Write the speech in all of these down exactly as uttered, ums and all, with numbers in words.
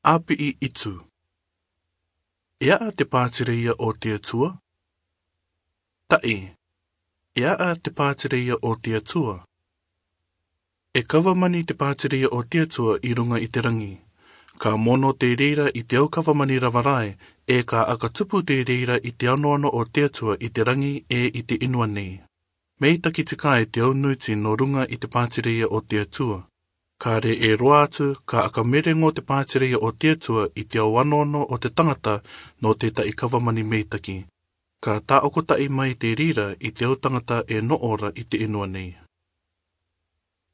Api'i itu. E a'a te pātireia o te Atua? Ta'i, e a'a te pātireia o te Atua? E kavamani te pātireia o te Atua i ruŋa i te raŋi. Ka mono te reira i te aukavamani rava rae, e ka aka tupu te reira i te anoano o te Atua i te raŋi e i te inua nei. Mei taki tika e te aunuiti nō ruŋa i te pātireia o te Atua. Ka re e roa atu, ka aka mereŋo te pātireia o te Atua i te ao anoano o te taŋata nō te ta'i kavamani mei taki. Ka tā'okota'i mai te reira i te au taŋata e no'o ra i te inua nei.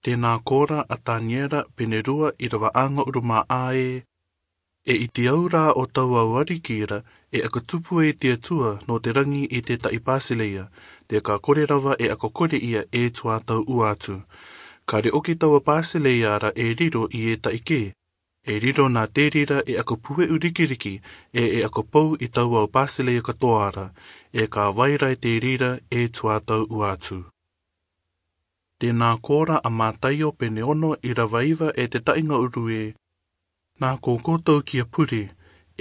Tēnā kōrā a Taniera pene rua i rava aŋa urumā a e. E i te au rā o tau au ariki ra, e aka tupu e te Atua nō te raŋi i te ta'i pātireia, te ka kore rava e aka kore ia e tuatau ua atu. Ka re oki taua pātireia ra e riro i e ta'i kē. E riro nā te reira e aka pue'u rikiriki, e e aka pou i tau au pātireia katoa ra, e ka vai rai te reira e tuatau ua atu. Tēnā kōrā a Mataio pene ono i rava iva e te ta'i ŋa'uru e. Nā ko kōtou kia pure,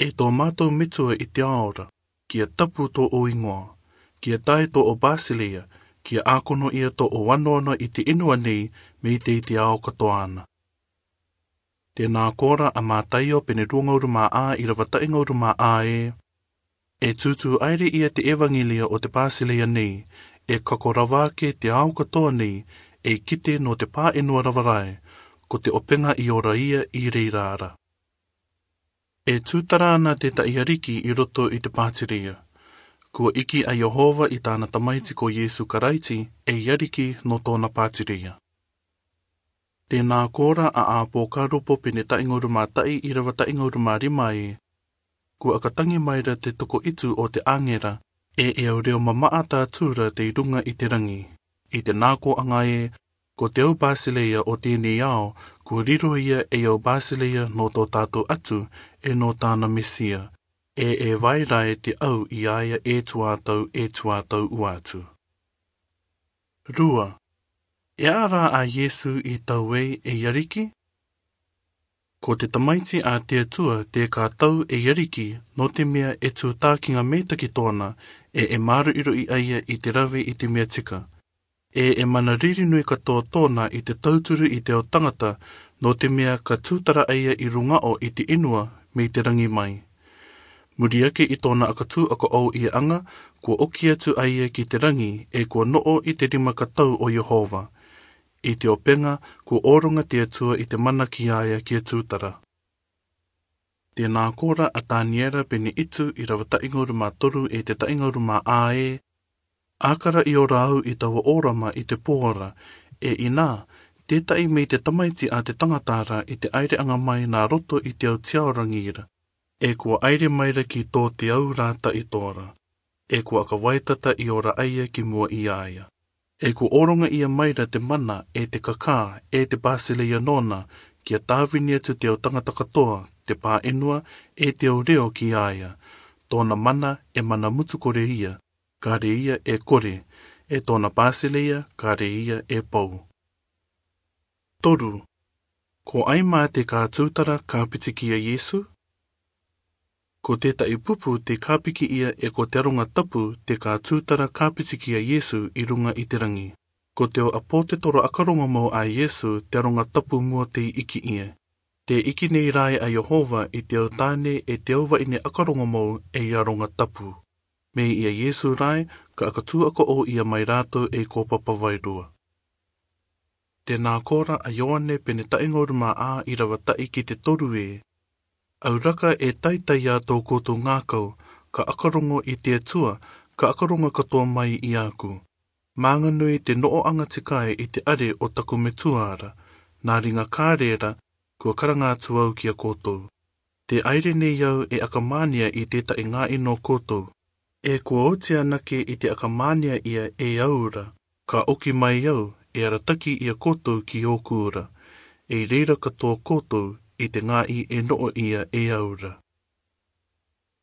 e tō mātou metua i te ao ra, kia tapu tō o ingoa, kia tae tō o pātireia, kia akono ia tō o anoano i te inua nei, mei te i te ao katoa ana. Tēnā kōrā a Mataio pene rua ŋa'uru mā a i rava ta'i ŋa'uru mā a e. E tūtū aere ia te evaŋelia o te pātireia nei, e kako rava ake te ao katoa nei, e kite nō te pā'enua rava rae, ko te 'opeŋa i ora ia i reira ra. E tūtara ana te ta'i ariki i roto i te pātireia. Kua iki a Iehova i tāna tamaiti ko Iesu Karaiti, e i ariki nō tōna pātireia. Tēnā kōrā a Apōkaropo pene ta'i ŋa'uru mā ta'i i rava ta'i ŋa'uru mā rima e. Kua aka taŋi mai ra te toko itu o te 'āŋera, e e au reo mama'a tātura te i ruŋa i te raŋi. I te nā kō'aŋa e, ko te au pātireia o tēnei ao, kua riro ia e au pātireia nō tō tātou Atua, e nō tāna Mesia. E e vai rae te au i a ia e tuatau, e tuatau ua atu. Rua, e a'a rā a Iesu i tau ei e i ariki? Ko te tamaiti a te Atua te ka tau e i ariki, nō te mea e tūtākiŋa mei taki tōna, e e māru'iru'i a ia i te rave i te mea tika. E e mana riri nui katoa tōna i te tauturu i te ao taŋata, nō te mea ka tūtara a ia i ruŋa 'ō i te inua mei te raŋi mai. Muri ake i tōna aka tū aka 'ou ia aŋa, kua oki atu a ia ki te raŋi, e kua no'o i te rima ka tau o Iehova. I te 'opeŋa, kua 'ōroŋa te Atua i te mana ki a ia kia tūtara. Tēnā kōrā a Taniera pene itu i rava ta'i ŋa'uru mā toru e te ta'i ŋa'uru mā a e. Aka ra i ora au i taua 'ōrama i te pō ra, e inā, te ta'i mei te tamaiti a te taŋata ra i te aire'aŋa mai nā roto i te au tiaoraŋi ra. E kua aire mai ra ki tō te au rā ta'itō ra. E kua aka vaitata i ora a ia ki mua i a ia. E kua 'ōroŋa ia mai ra te mana, e te kakā, e te pātireia nōna, kia tāvini atu te au taŋata katoa, te pā'enua, e te au reo ki a ia. Tōna mana, e mana mutu kore ia, ka re ia e kore, e tōna pātireia, ka re ia e pou. Toru, ko ai mā te ka tūtara ka piti ki a Iesu? Ko te ta'i pupu te ka piki ia e ko te aroŋa tapu te ka tūtara ka piti ki a Iesu i ruŋa i te raŋi. Ko te o apōtetoro aka roŋo mau a Iesu te aroŋa tapu mua te iki ia. Te iki nei rae a Iehova i te au tāne e te au va'ine aka roŋo mau e i aroŋa tapu. Mei i a Iesu rae, ka aka tū aka 'ou ia mai rātou e ko papa vairua. Tēnā kōrā a Ioane pene ta'i ŋa'uru mā a i rava ta'i ki te toru e. Au raka e taitai a tō koutou ŋākau, ka aka roŋo i te Atua, ka aka roŋo katoa mai i a ku. Māŋa nui te no'o'aŋa tika e i te are o taku metua ra, nā riŋa ka re ra, kua karaŋa atu au ki a koutou. Te aire nei au e aka mānia i te ta'i ŋā'i nō koutou. E kua oti anake i te aka mānia ia e au ra, ka oki mai au, e arataki i a koutou ki ōku ra. E reira katoa koutou i te ŋā'i e no'o ia e au ra.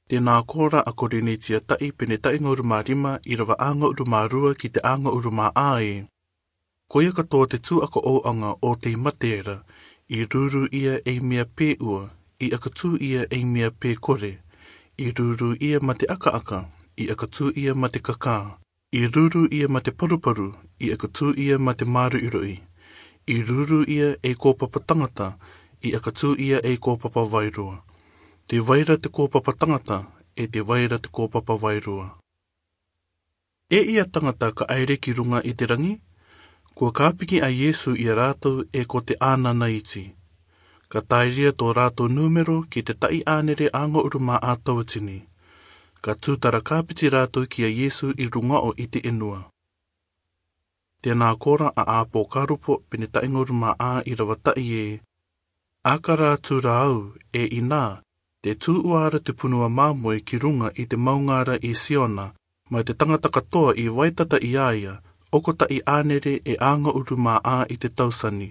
Tēnā kōrā a Korinetia ta'i pene ta'i ŋa'uru mā rima i rava a ŋa'uru mā rua ki te a ŋa'uru mā a e. Ko ia katoa te tū aka 'ou'aŋa o te i mate ra, i rūrū ia e i mea pē ua, i akatū ia ei mea pekore. I ruru ia ma te akaaka, i akatū ia ma te kakā. I ruru ia ma te paruparu, i akatū ia ma te maruiroi. I ruru ia ei kopapa tangata, i akatū ia ei kopapa vairua. Te vaira te kopapa tangata, e te vaira te kopapa vairua. E ia tangata ka aere ki runga i te rangi? Kua kapiki a Iesu ia ratou e ko te ananaiti. Ka taeria to ratou numero ki te ta'i anere angauru ma a tauatini. Ka tutara kapiti ratou ki a Iesu i rungao i te enua. Tena kora a Apokarupo pene ta'i ngauru ma a irava ta'i e. Akara atu ra au, e ina, te tu uara te punua mamoe ki runga i te maungara i Siona, ma te tangata katoa i vaitata i a ia, o ko ta'i anere e angauru ma a i te tausani,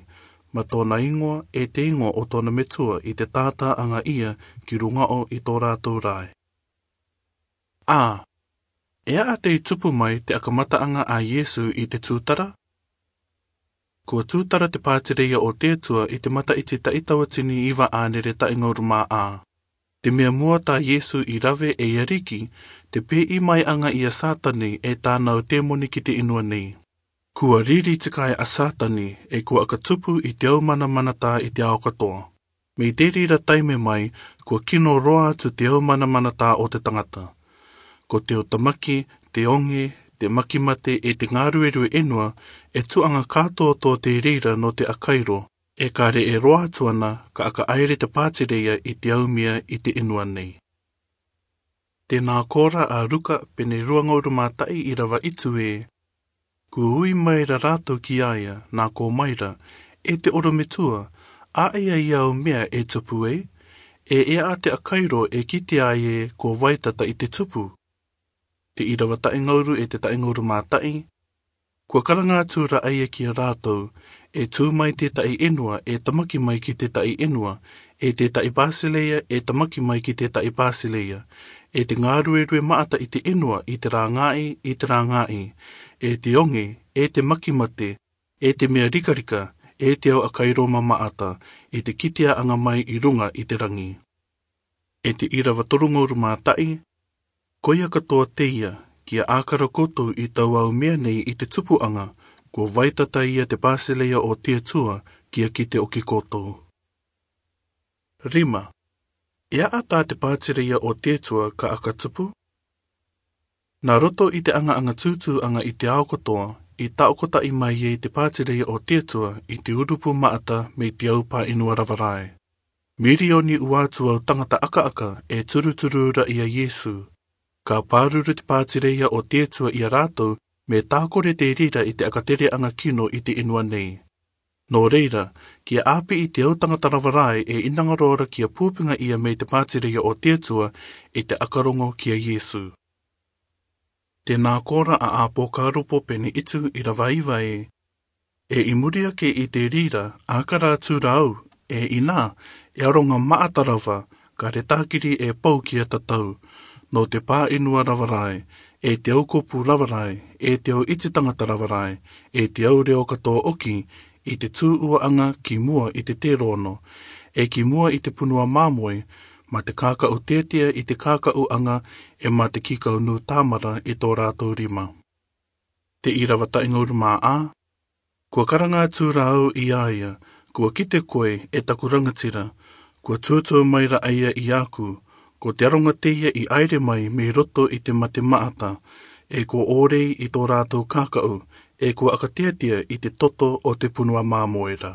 ma tona ingoa e te ingoa o tona metua i te tataanga ia ki rungao i to ratou rae. A. E a tei tupu mai te akamataaga a Iesu i te tutara? Kua tutara te patireia o te Atua i te mataiti ta'i tauatini iva anere ta'i ngauru ma a. Te mea mua ta Iesu i rave ei ariki, te pei mai anga ia Satani e tanau temoni ki te inua nei. Kua riri te kai a Satani, e kua akatupu i te au manamanata i te ao katoa. Me te rira taime mai, kua kino roa atu te au manamanata o te tangata. Ko te au tamaki, te onge, te makimate e te ngaruerue enua, e tuanga katoa to te rira no te akairo, e kare e roa atu ana, ka aka aere te patireia i te au mea i te inua nei. Tena kora a Ruka pene rua ngauru ma ta'i irava itu e. Kua ui mai ra ratou ki a ia, na ko mai ra, e te orometua, a ia ia au mea e tupu e, e e a te akairo e kite a ia e kua vaitata i te tupu. Te irava ta'i ngauru e te ta'i ngauru ma ta'i. Kua karanga atu ra a ia ki a ratou, e tu mai te ta'i enua, e tamaki mai ki te ta'i enua, e te ta'i pasileia, e tamaki mai ki te ta'i pasileia, e te ngaruerue maata i te enua, i te rangai, i te rangai, e te onge, e te makimate, e te mea rikarika, e te au akairo ma maata, i te kitea anga mai i runga i te rangi. E te irava toru ngauru ma ta'i, ko ia katoa teia, kia akara koutou i tau au mea nei i te tupuanga, kua vaitata ia te pasileia o te Atua, kia kite oki koutou. Rima. E a ata te patireia o te Atua ka aka tupu? Na roto i te anga anga tutu anga i te ao katoa, i taokota'i mai e te patireia o te Atua, i te urupu maata me te au pa inua rava rae. Mirioni ua atu au tangata akaaka, e turuturu ra ia Iesu. Ka paruru te patireia o te Atua ia ratou, me takore te rira i te akatereanga kino i te inua nei. No reira, kia api i te au tangata rava rae e inanga rora kia pupinga ia me te patireia o te Atua i te akarongo kia Iesu. Tena kora a Apokarupo pene itu irava iva e. E i muri ake i te rira, akara atu ra au, e ina, e aronga maata rava, ka retakiri e pou kia tatau, no te pa inua rava rae, e te au kopu rava rae, e te au iti tangata rava rae, e te au reo katoa oki, i te tu uaanga ki mua i te terono, e ki mua i te punua mamoe, ma te kakau tetea i te kakauanga, e ma te kikau nu tamara i to ratou rima. Te irava ta'i ngauru ma a. Kua karanga atu ra au ia ia, kua kite koe e taku rangatira, kua tuatua mai ra a ia iaku, ko te aronga teia i aere mai me roto i te mate maata, e kua orei i to ratou kakau, e kua akateatea i te toto o te punua mamoe ra.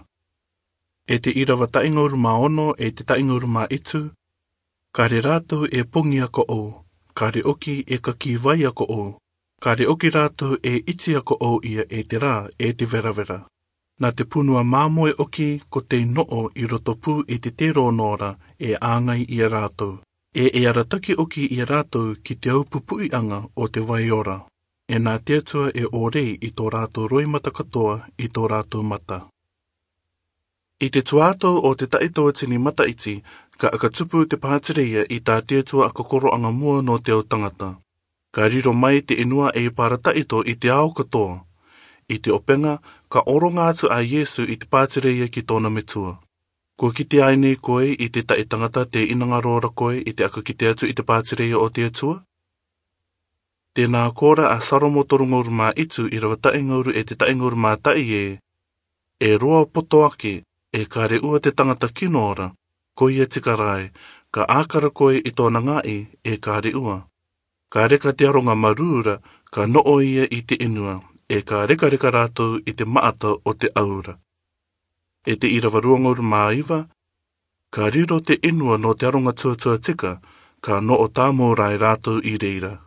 E te irava ta'i ngauru ma ono, e te ta'i ngauru ma itu, kare ratou e pongi a ko'ou, kare oki e kakivai a ko'ou, kare oki ratou e iti a ko'ou ia e te ra, e te veravera. Na te punua mamoe oki ko te noo i roto pu i te terono ra, e angai ia ratou. E e arataki oki ia ratou ki te au pupuianga o te vai ora. E na te Atua e orei i to ratou roimata katoa i to ratou mata. I te tuato o te ta'i tauatini mataiti, ka aka tupu te patireia i ta te Atua aka koroanga mua no te au tangata. Ka riro mai te inua e parataito i te ao katoa. I te openga, ka oronga atu a Iesu i te patireia ki tona metua. Kua kite ai nei koe i te ta'i tangata tē inanga rō ra koe i te aka kite atu i te pātireia o te Atua? Tē nā kōrā a Salomo toru ngauru mā itu, irava ta'i ngauru e te ta'i ngauru mā ta'i ē: E roa poto ake, e kare ua te tangata kino ra, koia tika rāe, ka ākara koe i tōna ngā'i, e kare ua. Ka reka te aronga marū ra, ka no'o ia i te 'enua, e ka rekareka rātou i te ma'ata o te aura. E te irava rua ngauru mā iva: Ka riro te 'enua nō te aronga tuatua tika, ka no'o tāmau rāe rātou i reira.